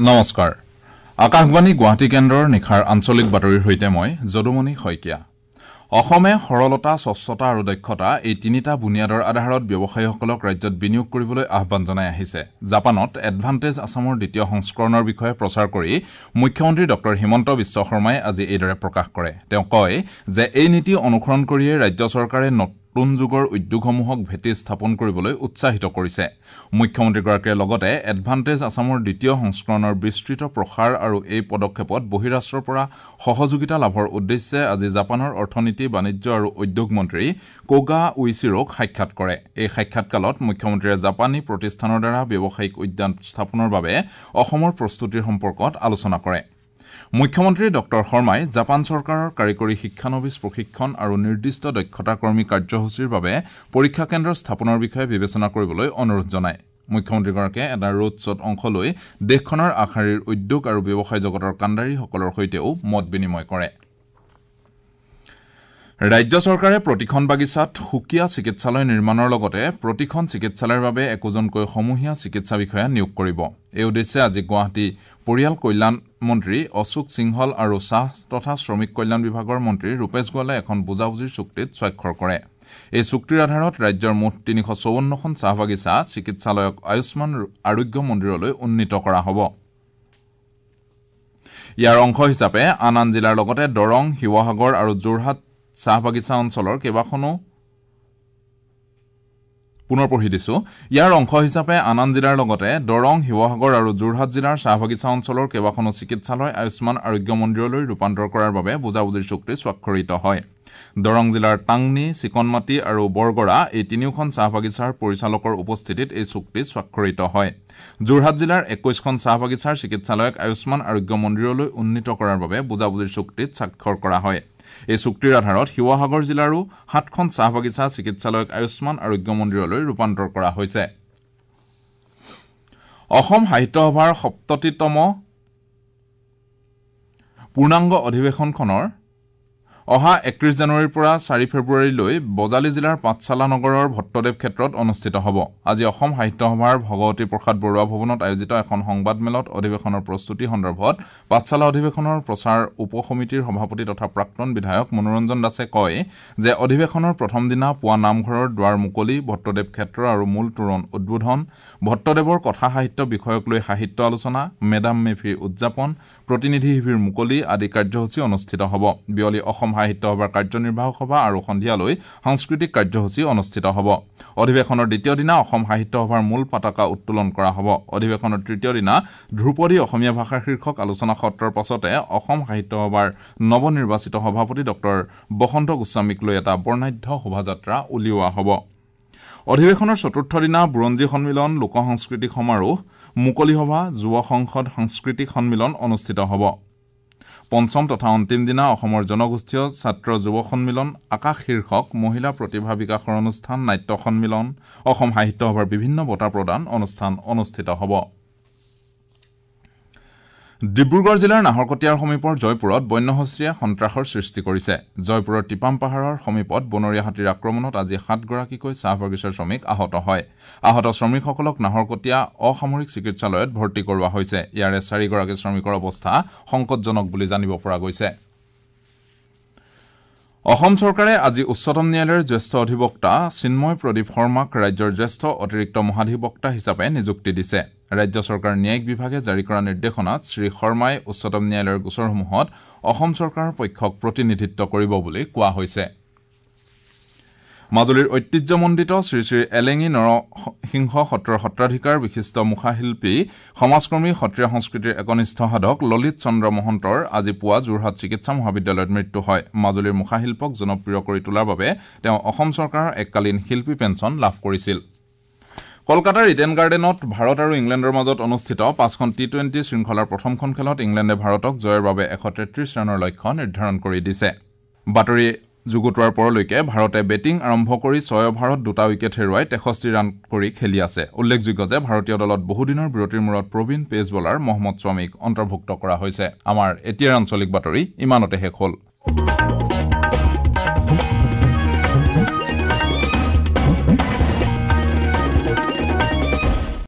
নমস্কাৰ, আকাশবাণী গুৱাহাটী কেন্দ্ৰৰ নিশাৰ আঞ্চলিক বাতৰিৰ সৈতে মই যদুমণি শইকীয়া। অসমে সৰলতা, স্বচ্ছতা আৰু দক্ষতা এই তিনিটা বুনিয়াদৰ আধাৰত ব্যৱসায়ীসকলক ৰাজ্যত বিনিয়োগ কৰিবলৈ আহ্বান জনাই আহিছে। জাপানত এডভান্টেজ আছামৰ দ্বিতীয় সংস্কৰণৰ বিষয়ে প্ৰচাৰ কৰি মুখ্যমন্ত্ৰী ডঃ হিমন্ত বিশ্ব শৰ্মাই আজি এইদৰে প্ৰকাশ কৰে। তেওঁ কয় যে এই নীতি অনুসৰণ কৰিয়ে ৰাজ্য চৰকাৰে নতুন যুগৰ উদ্যোগসমূহক ভেটি স্থাপন কৰিবলৈ উৎসাহিত কৰিছে। মুখ্যমন্ত্ৰীগৰাকীয়ে লগতে এডভান্টেজ আছামৰ দ্বিতীয় সংস্কৰণৰ বিস্তৃত প্ৰসাৰ আৰু এই পদক্ষেপত বহিৰাষ্ট্ৰৰ পৰা সহযোগিতা লাভৰ উদ্দেশ্যে আজি জাপানৰ অৰ্থনীতি, বাণিজ্য আৰু উদ্যোগ মন্ত্ৰী কোগা উইচিৰোক সাক্ষাৎ কৰে। এই সাক্ষাৎকালত মুখ্যমন্ত্ৰীয়ে জাপানী প্ৰতিষ্ঠানৰ দ্বাৰা ব্যৱসায়িক উদ্যান স্থাপনৰ বাবে অসমৰ প্ৰস্তুতিৰ সম্পৰ্কত আলোচনা কৰে। মুখ্যমন্ত্ৰী ডঃ শৰ্মাই জাপান চৰকাৰৰ কাৰিকৰী শিক্ষানবিচ প্ৰশিক্ষণ আৰু নিৰ্দিষ্ট দক্ষতা কৰ্মী কাৰ্যসূচীৰ বাবে পৰীক্ষা কেন্দ্ৰ স্থাপনৰ বিষয়ে বিবেচনা কৰিবলৈ অনুৰোধ জনায়। মুখ্যমন্ত্ৰীগৰাকীয়ে এটা ৰোড শ্ব'ত অংশ লৈ দেশখনৰ আগশাৰীৰ উদ্যোগ আৰু ব্যৱসায় জগতৰ কাণ্ডাৰীসকলৰ সৈতেও মত বিনিময় কৰে। ৰাজ্য চৰকাৰে প্ৰতিখন বাগিচাত সুকীয়া চিকিৎসালয় নিৰ্মাণৰ লগতে প্ৰতিখন চিকিৎসালয়ৰ বাবে একোজনকৈ সমূহীয়া চিকিৎসা বিষয়া নিয়োগ কৰিব। এই উদ্দেশ্যে আজি গুৱাহাটী পৰিয়াল কল্যাণ মন্ত্ৰী অশোক সিংহল আৰু চাহ তথা শ্ৰমিক কল্যাণ বিভাগৰ মন্ত্ৰী ৰূপেশ গোৱালে এখন বুজাবুজিৰ চুক্তিত স্বাক্ষৰ কৰে। এই চুক্তিৰ আধাৰত ৰাজ্যৰ মুঠ ৩৫৪খন চাহ বাগিচা চিকিৎসালয়ক আয়ুষ্মান আৰোগ্য মন্দিৰলৈ উন্নীত কৰা হ'ব। ইয়াৰ অংশ হিচাপে আন আন জিলাৰ লগতে দৰং, শিৱসাগৰ আৰু যোৰহাট চাহ বাগিচা অঞ্চলৰ কেইবাখনো পুনৰ পঢ়ি দিছো। ইয়াৰ অংশ হিচাপে আন আন জিলাৰ লগতে দৰং, শিৱসাগৰ আৰু যোৰহাট জিলাৰ চাহ বাগিচা অঞ্চলৰ কেইবাখনো চিকিৎসালয় আয়ুষ্মান আৰোগ্য মন্দিৰলৈ ৰূপান্তৰ কৰাৰ বাবে বুজাবুজিৰ চুক্তি স্বাক্ষৰিত হয়। দৰং জিলাৰ টাংনি, চিকনমাটি আৰু বৰগৰা এই তিনিওখন চাহ বাগিচাৰ পৰিচালকৰ উপস্থিতিত এই চুক্তি স্বাক্ষৰিত হয়। যোৰহাট জিলাৰ ২১খন চাহ বাগিচাৰ চিকিৎসালয়ক আয়ুষ্মান আৰোগ্য মন্দিৰলৈ উন্নীত কৰাৰ বাবে বুজাবুজিৰ চুক্তিত স্বাক্ষৰ কৰা হয়। এই চুক্তিৰ আধাৰত শিৱসাগৰ জিলাৰো ৭খন চাহ বাগিচা চিকিৎসালয়ক আয়ুষ্মান আৰোগ্য মন্দিৰলৈ ৰূপান্তৰ কৰা হৈছে। অসম সাহিত্য সভাৰ ৭০তম পূৰ্ণাংগ অধিৱেশনখনৰ অহা ৩১ জানুৱাৰীৰ পৰা ৪ ফেব্ৰুৱাৰীলৈ বজালী জিলাৰ পাঠশালা নগৰৰ ভট্টদেৱ ক্ষেত্ৰত অনুষ্ঠিত হ'ব। আজি অসম সাহিত্য সভাৰ ভগৱতী প্ৰসাদ বৰুৱা ভৱনত আয়োজিত এখন সংবাদমেলত অধিৱেশনৰ প্ৰস্তুতি সন্দৰ্ভত পাঠশালা অধিৱেশনৰ প্ৰচাৰ উপসমিতিৰ সভাপতি তথা প্ৰাক্তন বিধায়ক মনোৰঞ্জন দাসে কয় যে অধিৱেশনৰ প্ৰথম দিনা পুৱা নামঘৰৰ দুৱাৰ মুকলি, ভট্টদেৱ ক্ষেত্ৰ আৰু মূল তোৰণ উদ্বোধন, ভট্টদেৱৰ কথা সাহিত্য বিষয়ক লৈ সাহিত্য আলোচনা, মেডাম মেফিৰ উদযাপন, প্ৰতিনিধি শিবিৰ মুকলি আদি কাৰ্যসূচী অনুষ্ঠিত হ'ব। বিয়লি অসম সাহিত্য সভাৰ কাৰ্যনিৰ্বাহক সভা আৰু সন্ধিয়ালৈ সাংস্কৃতিক কাৰ্যসূচী অনুষ্ঠিত হ'ব। অধিৱেশনৰ দ্বিতীয় দিনা অসম সাহিত্য সভাৰ মূল পতাকা উত্তোলন কৰা হ'ব। অধিৱেশনৰ তৃতীয় দিনা ধ্ৰুপদী অসমীয়া ভাষা শীৰ্ষক আলোচনা সত্ৰৰ পাছতে অসম সাহিত্য সভাৰ নৱনিৰ্বাচিত সভাপতি ডঃ বসন্ত গোস্বামীক লৈ এটা বৰ্ণাঢ্য শোভাযাত্ৰা উলিওৱা হ'ব। অধিৱেশনৰ চতুৰ্থ দিনা বুৰঞ্জী সন্মিলন, লোক সাংস্কৃতিক সমাৰোহ, মুকলি সভা, যুৱ সংসদ সাংস্কৃতিক সন্মিলন অনুষ্ঠিত হ'ব। পঞ্চম তথা অন্তিম দিনা অসমৰ জনগোষ্ঠীয় ছাত্ৰ যুৱ সন্মিলন, আকাশ শীৰ্ষক মহিলা প্ৰতিভা বিকাশৰ অনুষ্ঠান, নাট্য সন্মিলন, অসম সাহিত্য সভাৰ বিভিন্ন বঁটা প্ৰদান অনুষ্ঠান অনুষ্ঠিত হ'ব। ডিব্ৰুগড় জিলাৰ নাহৰকটীয়াৰ সমীপৰ জয়পুৰত বন্যহস্তীয়ে সন্ত্ৰাসৰ সৃষ্টি কৰিছে। জয়পুৰৰ টিপাম পাহাৰৰ সমীপত বনৰীয়া হাতীৰ আক্ৰমণত আজি ৭গৰাকীকৈ চাহ বাগিচাৰ শ্ৰমিক আহত হয়। আহত শ্ৰমিকসকলক নাহৰকটীয়া অসামৰিক চিকিৎসালয়ত ভৰ্তি কৰোৱা হৈছে। ইয়াৰে ৪গৰাকী শ্ৰমিকৰ অৱস্থা সংকটজনক বুলি জানিব পৰা গৈছে। অসম চৰকাৰে আজি উচ্চতম ন্যায়ালয়ৰ জ্যেষ্ঠ অধিবক্তা চিন্ময় প্ৰদীপ শৰ্মাক ৰাজ্যৰ জ্যেষ্ঠ অতিৰিক্ত মহাধিবক্তা হিচাপে নিযুক্তি দিছে। ৰাজ্য চৰকাৰৰ ন্যায়িক বিভাগে জাৰি কৰা নিৰ্দেশনাত শ্ৰী শৰ্মাই উচ্চতম ন্যায়ালয়ৰ গোচৰসমূহত অসম চৰকাৰৰ পক্ষক প্ৰতিনিধিত্ব কৰিব বুলি কোৱা হৈছে। মাজুলীৰ ঐতিহ্যমণ্ডিত শ্ৰী শ্ৰী এলেঙী নৰসিংহ সত্ৰৰ সত্ৰাধিকাৰ, বিশিষ্ট মুখাশিল্পী, সমাজকৰ্মী, সত্ৰীয়া সংস্কৃতিৰ একনিষ্ঠ সাধক ললিত চন্দ্ৰ মহন্তৰ আজি পুৱা যোৰহাট চিকিৎসা মহাবিদ্যালয়ত মৃত্যু হয়। মাজুলীৰ মুখাশিল্পক জনপ্ৰিয় কৰি তোলাৰ বাবে তেওঁ অসম চৰকাৰৰ এককালীন শিল্পী পেঞ্চন লাভ কৰিছিল। কলকাতাৰ ইডেন গাৰ্ডেনত ভাৰত আৰু ইংলেণ্ডৰ মাজত অনুষ্ঠিত ৫খন টি-টুৱেণ্টি শৃংখলাৰ প্ৰথমখন খেলত ইংলেণ্ডে ভাৰতক জয়ৰ বাবে ১৩৩ ৰানৰ লক্ষ্য নিৰ্ধাৰণ কৰি দিছে। বাতৰি যুগুতোৱাৰ পৰলৈকে ভাৰতে বেটিং আৰম্ভ কৰি ৬ অভাৰত ২টা উইকেট হেৰুৱাই ৬৩ ৰান কৰি খেলি আছে। উল্লেখযোগ্য যে ভাৰতীয় দলত বহুদিনৰ বিৰতিৰ মূৰত প্ৰবীণ পেচ বলাৰ মহম্মদ শ্বামীক অন্তৰ্ভুক্ত কৰা হৈছে। আমাৰ এতিয়াৰ আঞ্চলিক বাতৰি ইমানতে শেষ হ'ল।